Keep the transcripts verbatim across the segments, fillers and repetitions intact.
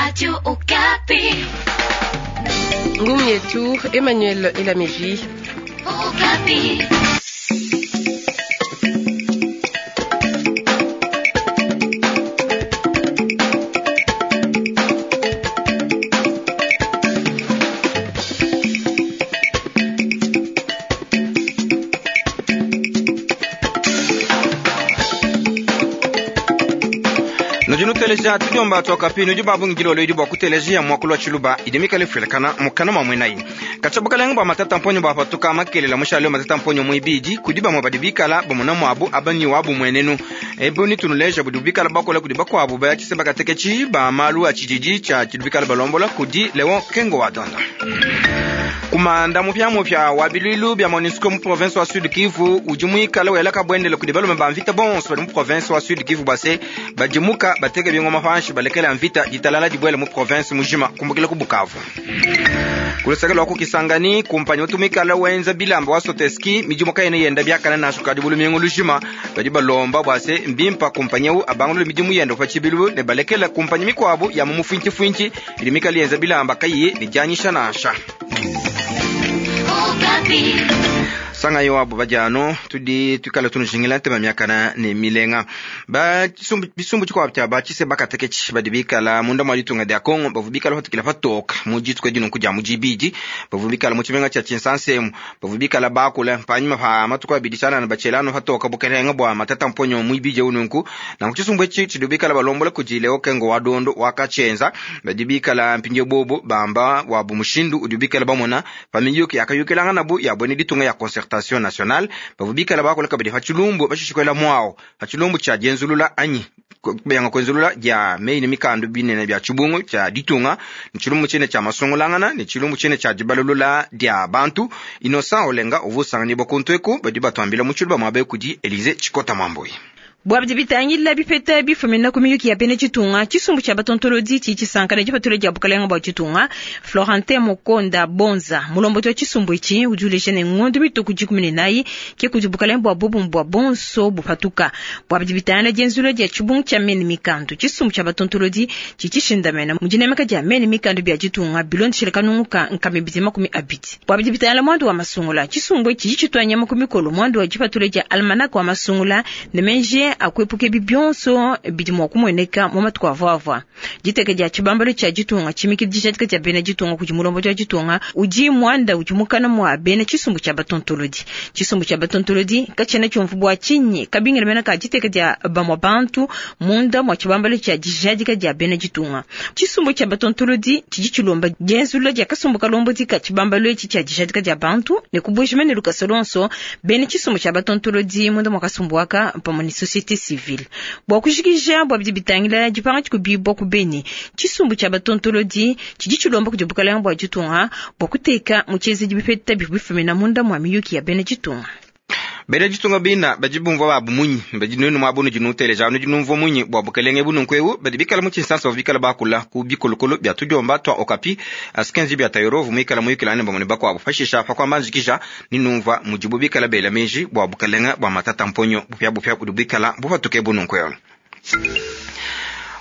Radio Okapi. Ngumi yetu Emmanuel Elameji. Okapi. Nudi nuteleja tudiomba twakapi nudi babungidile olwedi bua kuteleja muakulu wa tshiluba idi mikale ifuilakana mukana mua muenayi katshia bukalenga bua matata mponyo bwapatuka makelela mushale matata mponyo muibidi kudi bamue badi bikala bamona muabu abanyi wabu muenenu ebu nitunuleja budi bikala bakola kudi bakuabu baya tshiseba kateketshi ba malu a tshididi tshia tshidi bikala balombola kudi Leon Kengo wa Donda. Kumanda mupiamupia wa bilwilu bya MONUSCO mu province wa Sud Kivu udi muikale welaka bwendele kudi balume ba mvita bonso badi mu province wa Sud Kivu base badimuka bateke bingoma panshi balekela mvita ditalala dibwele mu province mujima kumbukila ku Bukavu. Kulusaka lwa kukisangani kumpanyi utumikala wenza bilamba wa Soteski midimu kayene yenda byakana nasho kadi bulumingu lujima badi balomba bwase mbimpa kumpanyi eu abangulule midimu yenda pa tshibilu ne balekela kumpanyi mikwabu ya mu mufintifinti idi mikale yenza bilamba kayiyi ne dianyisha nansha. Okapi. Sanga yo abo badiano tudi tukala tunujingila ntema miakana ne milenga ba tshisumbu bisumbu tshikuabu tshia ba tshise bakateketshi badi bikala munda mua ditunga dia Kongo bavu bikala patukila patoka mu dituku edi nunku dia mu dibidi bavu bikala mu tshimenga tshia Tshinsansemu bavu bikala bakula panyima pa matuku abidi tshianana batshielano patoka bukelenga bua matata mponyo muibidi eu nunku nanku tshisumbu etshi tshidi bikala balombola kudi Leo Kengo wa Dondo wakatshienza badi bikala mpindieu bobo bamba wabu mushindu udi bikala bamona pa miyuki yakayukilangana bu ya bwene ditunga ya concertation nationale bavu bikala bakola kabidi pa tshilumbu bashishikwela mwao pa tshilumbu tshia dienzulula anyi beyanga kwenzulula dia meyi ne mikandu binene bia tshibungu tshia ditunga ne tshilumbu tshine tshia masungulangana ne tshilumbu tshine tshia dibalulula dia bantu. Innocent Olenga uvu usanganyibwa kuntu eku badi batuambila mu tshiluba muaba kudi Elise Tshikota Mwambui. Bua bidi bitangila bipeta bifumina ku miyuki ya bena ditunga tshisumbu tshia batontolodi tshidi tshisanka ne dipatula dia bukalenga bua ditunga. Florentin Mokonda Bonza mulombodi wa tshisumbu etshi udi uleja ne ngondo mituku dikumi ne nayi ke kudi bukalenga bua bobumue bua bonso bupatuka. Bua bidi bitangila dienzulula dia tshibungu tshia mene mikandu tshisumbu tshia batontolodi tshidi tshishindamena mu dinemeka dia mene mikandu bia ditunga bilondeshile kanungu ka nkama ibidi makumi abidi. Bua bidi bitangila muandu wa masungula tshisumbu etshi tshidi tshitua nyama ku mikolo muandu wa dipatula dia almanach wa masungula ne menji akuepuka ebi bionso bidi mua kumueneka mu matuku avuavua. Diteka dia tshibambalo tshia ditunga tshimikidi dijadika dia bena ditunga kudi mulombodi wa ditunga udi muanda udi mukana mua bena tshisumbu tshia batontolodi. Tshisumbu tshia batontolodi katshiena tshiumvu bua tshinyi kabingila mena ka diteka dia bamua bantu munda mua tshibambalo tshia dijadika dia bena ditunga. Tshisumbu tshia batontolodi tshidi tshilomba dienzulula dia kasumbu kalombodi ka tshibambalo etshi tshia dijadika dia bantu ne kubuejima ne lukasa luonso bena tshisumbu tshia batontolodi munda mua kasumbu aka pamue ne société civile. Bua kujikija bua bidi bitangila dipanga dikubibua ku Beni tshisumbu tshia batontolodi tshidi tshilomba kudi bukalenga bua ditunga bua kuteka mu tshienzedi bipeta bivua bifumina munda mua miyuki ya bena ditunga. Bena ditunga bina badi bumvua babu munyi badi nuenu muabu nudi nuteleja nudi numvua munyi bua bukelenge bununku eu badi bikala mu tshinsansa bavua bikala bakula ku bikolokolo bia tudiomba tua Okapi asikenzi bia Tayorovu muikala muyukilane bamue ne bakuabu pashisha pa kuamba nzikija ni numvua mudibu bikala bela meji bua bukelenge bua matata mponyo bupia bupia budi bikala bupatuke bununku eu.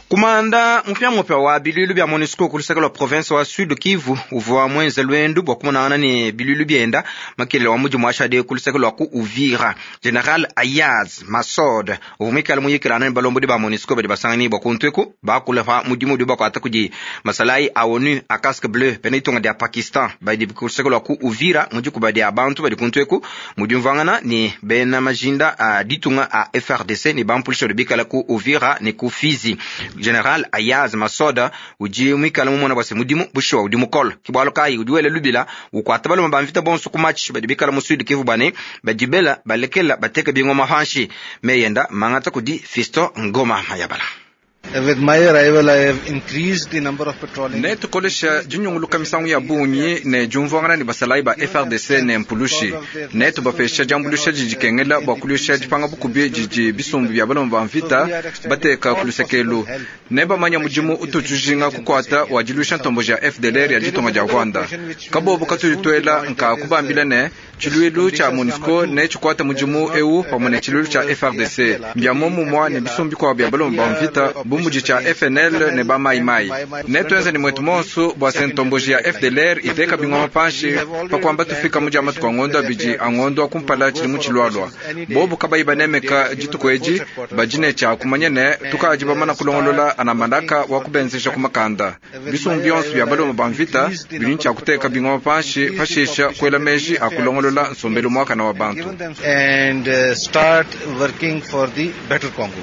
Kumanda mupiamupia wa bilwilu bya MONUSCO ku luseke lwa province wa Sud Kivu uvua mwenze lwendu bua kumonangana ne bilwilu bienda makelele wa mudimu ashade ku luseke lwa ku Uvira. General Ayaz Masod uvua muikale muyikilana ne balombodi ba MONUSCO badi basanganibwa kuntu eku bakula pa mudimu udi bakuata kudi masalayi a ONU a casque bleu bena ditunga dia Pakistan badi ku luseke lwa ku Uvira mu dikuba dia bantu badi kuntu eku mu diumvuangana ne bena majinda a ditunga a F R D C ne bampulisha badi bikala ku Uvira ne ku Fizi. General Ayaz Masoda udi muikale mumona bwase mudimu bushuwa udi mukolo kibwalo kayi udi wele lubila ukwata baloma ba mvita bonso ku match badi bikala mu Sud Kivu bane badibela balekela bateka bingoma panshi meyenda mangata kudi Fisto Ngoma Mayabala. With my arrival, I have increased the number of patrolling. Ne tukolesha dinyunguluka misangu ya bungi ne diumvuangana ne basalayi ba F R D C ne mpulushi ne tubapesha diambulusha didi kengela bua kulusha dipanga bukubi didi bisumbu bia baloma ba mvita bateka ku lusekelu ne bamanya mudimu ututujinga kukwata wa dilusha ntombo ja F D L R ya ditonga dia Rwanda kabobo katulitwela nka kubambila ne tshiluilu tshia MONUSCO ne tshikwata mudimu eu pamue ne tshiluilu tshia F R D C mbia momumua ne bisumbu bikuabu bia baloma ba mvita bu bu mudi tshia F N L ne ba Mai Mai. Netuenze ne mwetu monso bua se ntomboji ya F D L R iteka bingoma panshi pa kuamba tufika mu dia matuku a ngondo abidi a ngondo a kumpala tshili mu tshilualua. Bobu kabayi banemeka dituku edi badi ne tshia kumanya ne tukadi bamana kulongolola ana mandaka wa kubenzesha ku makanda. Bisumbu bionso bia baloma ba mvita bidi tshia kuteka bingoma panshi pashisha kuela meji a kulongolola nsombelu muakana wa bantu. And uh, start working for the better Congo.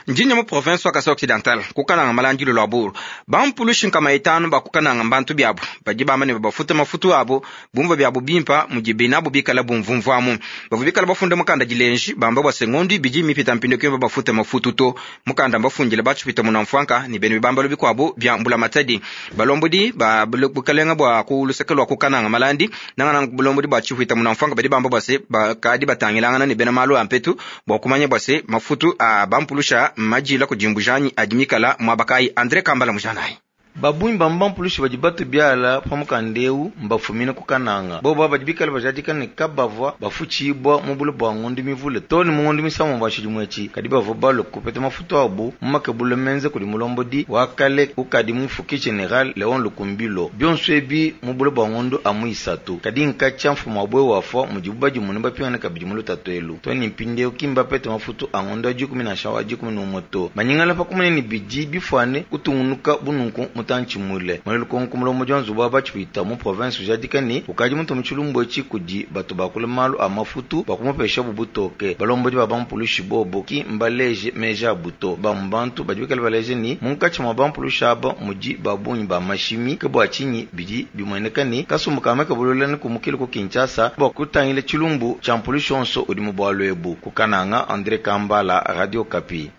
Njinya mu province wa Kasai Occidental kukananga malandilo lwa buru bampulushi nkama itanu bakukananga mbantu byabo badi bamane babafuta mafutu abo bumva byabo bimpa mudi binabo bikala bumvumvuamu bavu bikala bafunda mukanda dilenji bamba bwa sengondi bidi mipita mpindo kimba bafuta mafutu to mukanda mbafundile bachupita munamfwanka ni bene bibambalo bikwabo bya mbula matadi balombodi ba bukalenga bwa ku luseke lwa kukananga malandi nangana bulombodi bwa chihwita munamfwanka badi bamba bwase bakadi batangilangana ni bena malu ampetu bwa kumanya bwase mafutu a bampulusha majila kujimbujanyi adimikala mwabakai Andre Kambala mujanai babunyi bamba mpulushi badi batu byala pamukandeu mbafumine kukananga bobo badi bikala bajadika kabavwa bafuchibwa mubulu bwa ngondo mivule toni mungondo misamo bashidimwechi kadi bavwa balo kupeta mafutu abu mumakebulu menze kuli mulombodi wakale ukadi mufuki general Leon Lukumbilo byonso ebi mubulu bwa ngondo amuisatu kadi nkacha mfumo abwe wafwa mujibu badi mune bapingana kabidi mulutatu elu toni mpindeu kimba pete mafutu angondo ajikumi na shawa ajikumi n'umoto banyingala pakumene ni bidi bifwane kutungunuka bununku mutanchimule mwele mulomo jwanzu bwa bachwita mu province ujadika ni ukaji muntu muchilumbo echi kudi batu bakula malu a mafutu bakumupesha bubutoke balombodi ba bampulushi bobo ki mbaleje meja buto bambantu badibikala baleje ni munkachi mwa bampulushi aba muji babunyi ba mashimi ke bwa chinyi bidi bimweneka ni kasumbu kame kabulula ni kumukili ku Kinshasa bwa kutangile chilumbu cha mpulushi onso udi mu bwalwebu kukananga Andre Kambala, Radio Kapi.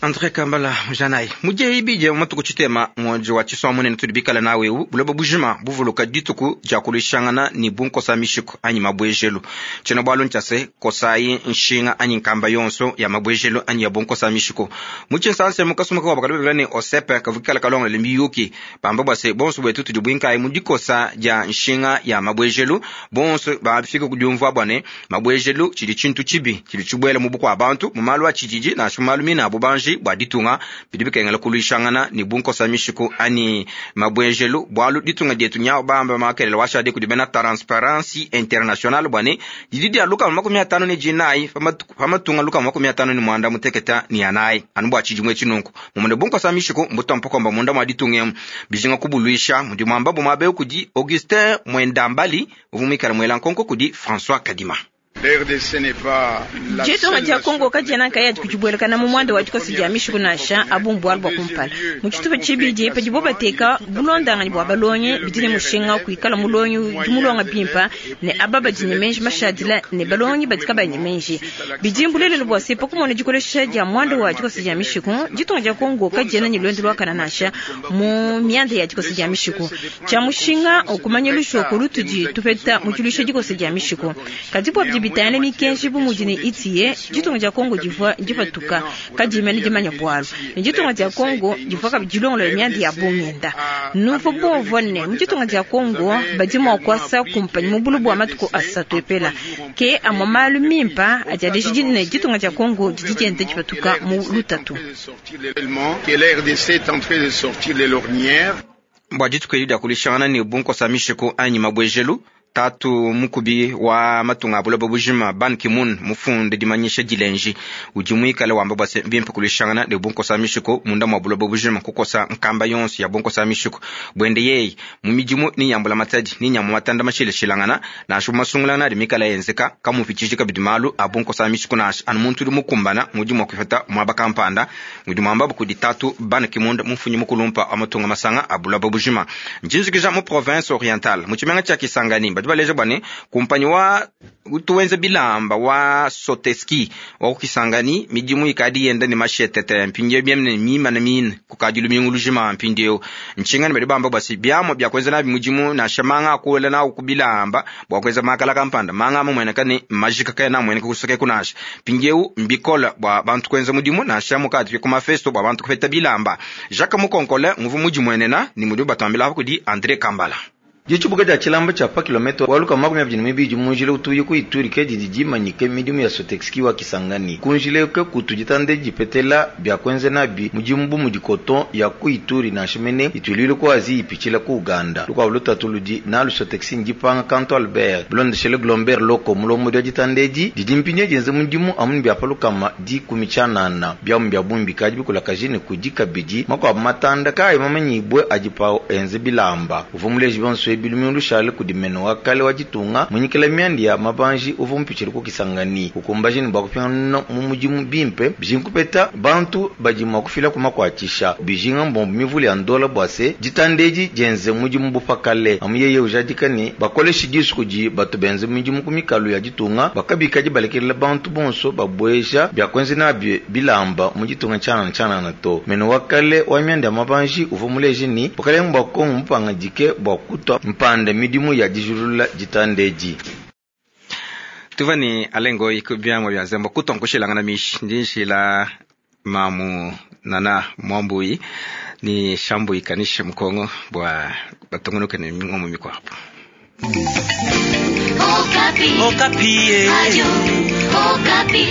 Andre Kambala mujanai muje ibije matuku chitema mwonjo wa chiswa munene tudibikala nawe buloba bujima buvuluka dituku ja kulishangana ni bunkosa mishiko anyi mabwejelo chena bwalo nchase kosai nshinga anyi nkamba yonso ya mabwejelo anyi ya bunkosa mishiko muchinsanse mukasumuka wa bakalubela ni osepe kavukala kalonga limiyuki bamba bwase bonso bwetu tudibwinkai mudikosa ja nshinga ya mabwejelo bonso bafika kudyumva bwane mabwejelo chili chintu chibi chili chibwela mubukwa abantu mumalu achijiji na shumalu mina bubanji bwa ditunga bidi bikengela kulwishangana ni bunkosa mishiku ani mabwejelo bwalu ditunga dietu nyao bamba makelele washade kudibena Transparency International bwane didi dia luka makumi atano ni jinai pamatunga luka makumi atano ni mwanda muteketa ni anai anu bwa chijimwe chinunku mumune bunkosa mishiku mbutampokomba munda mwa ditunga bijinga kubulwisha mudi mwamba bumabe kudi Augustin Mwendambali uvumikala mwela nkonko kudi François Kadima. Ditunga dia Kongo kadiena kaya kujibwelekana mu mwanda wa dikosa dia mishiku nansha abumbu bwa kumpala mu tshitupa tshibidi padibo bateka bulondangani bwa balongi bidi ne mushinga kuikala mulongi udi mulonga bimpa ne aba badi ne menji mashadila ne balongi badi kabayi ne menji bidi mbulelelo bua se pakumona dikolesha dia mwanda wa dikosa dia mishiku ditunga dia Kongo kadiena ne luendu luakana nansha mu mianda ya dikosa dia mishiku tshia mushinga okumanya lushoko lutudi tupeta mu tshiluisha dikosa dia mishiku kadi bua bidi bitayana mikenji bu mudi ne itiye ditunga dia Kongo divua dipatuka kadimene dimanya bwalu ne ditunga dia Kongo divua kabidi dilongolola mianda ya bungenda nuvo bumvua ne mu ditunga dia Kongo badi mua kuasa kumpanyi mu bulu bua matuku asatu epela ke amua malu mimpa adi aleja ne ditunga dia Kongo didi dienda dipatuka mu lutatu. Bua dituku edi dia kulishangana ne bunkosa mishiku anyi mabwejelu tatu mukubi wa matunga abuloba bujima Ban Ki-moon mufunde dimanyisha dilenji udi muikale wamba bua se bimpe kulishangana ne bunkosa mishiko munda mwa buloba bujima kukosa nkamba yonso ya bunkosa mishiko bwende yeyi mu midimu ni nyambula matadi ni nyamu matanda mashileshilangana nansha masungulana adi mikala yenzeka kamupitshiji kabidi malu a bunkosa mishiko nansha anu muntu udi mukumbana mudi mua kuipata muaba kampanda mudi muamba kudi tatu Ban Ki-moon mufunyi mukulumpa wa matunga masanga a buloba bujima njinzikija mu province orientale mu tshimenga tshia Kisangani badi baleja bwane kumpanyi wa tuwenze bilamba wa Soteski wa kukisangani midimu ikadi yenda ne mashetete mpindieu biemne mima na mine kukadi lumingu lujima mpindieu nchingani badi bamba basi byamo bya kwenza nabi mudimu na shamanga akuela na kubilamba bwa kwenza makala kampanda manga amwe ne majika kaya na mwene kusoke kunasha mpindieu mbikola bwa bantu kwenza mudimu na shamu kadi kuma festo bwa bantu kupeta bilamba Jacques Mukonkole nguvu mudimu enena ni mudimu batambila kudi Andre Kambala. Ditshibuka dia tshilamba tshia pa kilomètre wa lukama makumi abidi ne mibidi mu njila utuye ku Ituri ke didi dimanyike midimu ya Sotexki wa Kisangani. Ku njila ke kutu ditanda dipetela bia kuenza nabi mudimu bu mudi coton ya ku Ituri nansha mene ituilile ku Asie ipitshila ku Uganda. Lukuabu lutatu ludi nalu Sotexi ndipanga Kanto Albert bilondeshele Glomber Loko mulombodi wa ditanda edi didi mpindieu dienza mudimu amu bia pa lukama dikumi tshianana biamu bia bungi bikadi bikulakaje ne kudi kabidi makuabu matanda kayi mamanyibue adi pawu enze bilamba. Uvua muleji bionso ebi lumingu lushale kudi meno wa kale wa ditunga munyikila miandi ya mabanji uvua mupitshile ku Kisangani ukumbaje ne bua kupingana mu mudimu bimpe bijinga kupeta bantu badi mua kufila ku makuatshisha bijinga mbombo mivule ya ndola bua se ditanda edi dienze mudimu bupakale amu yeye ujadika ne bakoleshi disu kudi batu benze midimu ku mikalu ya ditunga bakabikadi balekelela bantu bonso babueja bia kuenza nabi bilamba mu ditunga tshianana tshianana to. Meno wa kale wa miandi ya mabanji uvua muleje ni bukalenge bua Kongo mupangadike bua kutua mpanda midimu ya dijulula ditanda edi. Tuva ni alengo ikubiamwa bya nzembo kutonkushilangana mishi ndi nshila mamu nana mwambui ni shambui kanishe mukongo bwa batungunuke ne mingomo mikwapo. Okapi. Okapi. Radio Okapi.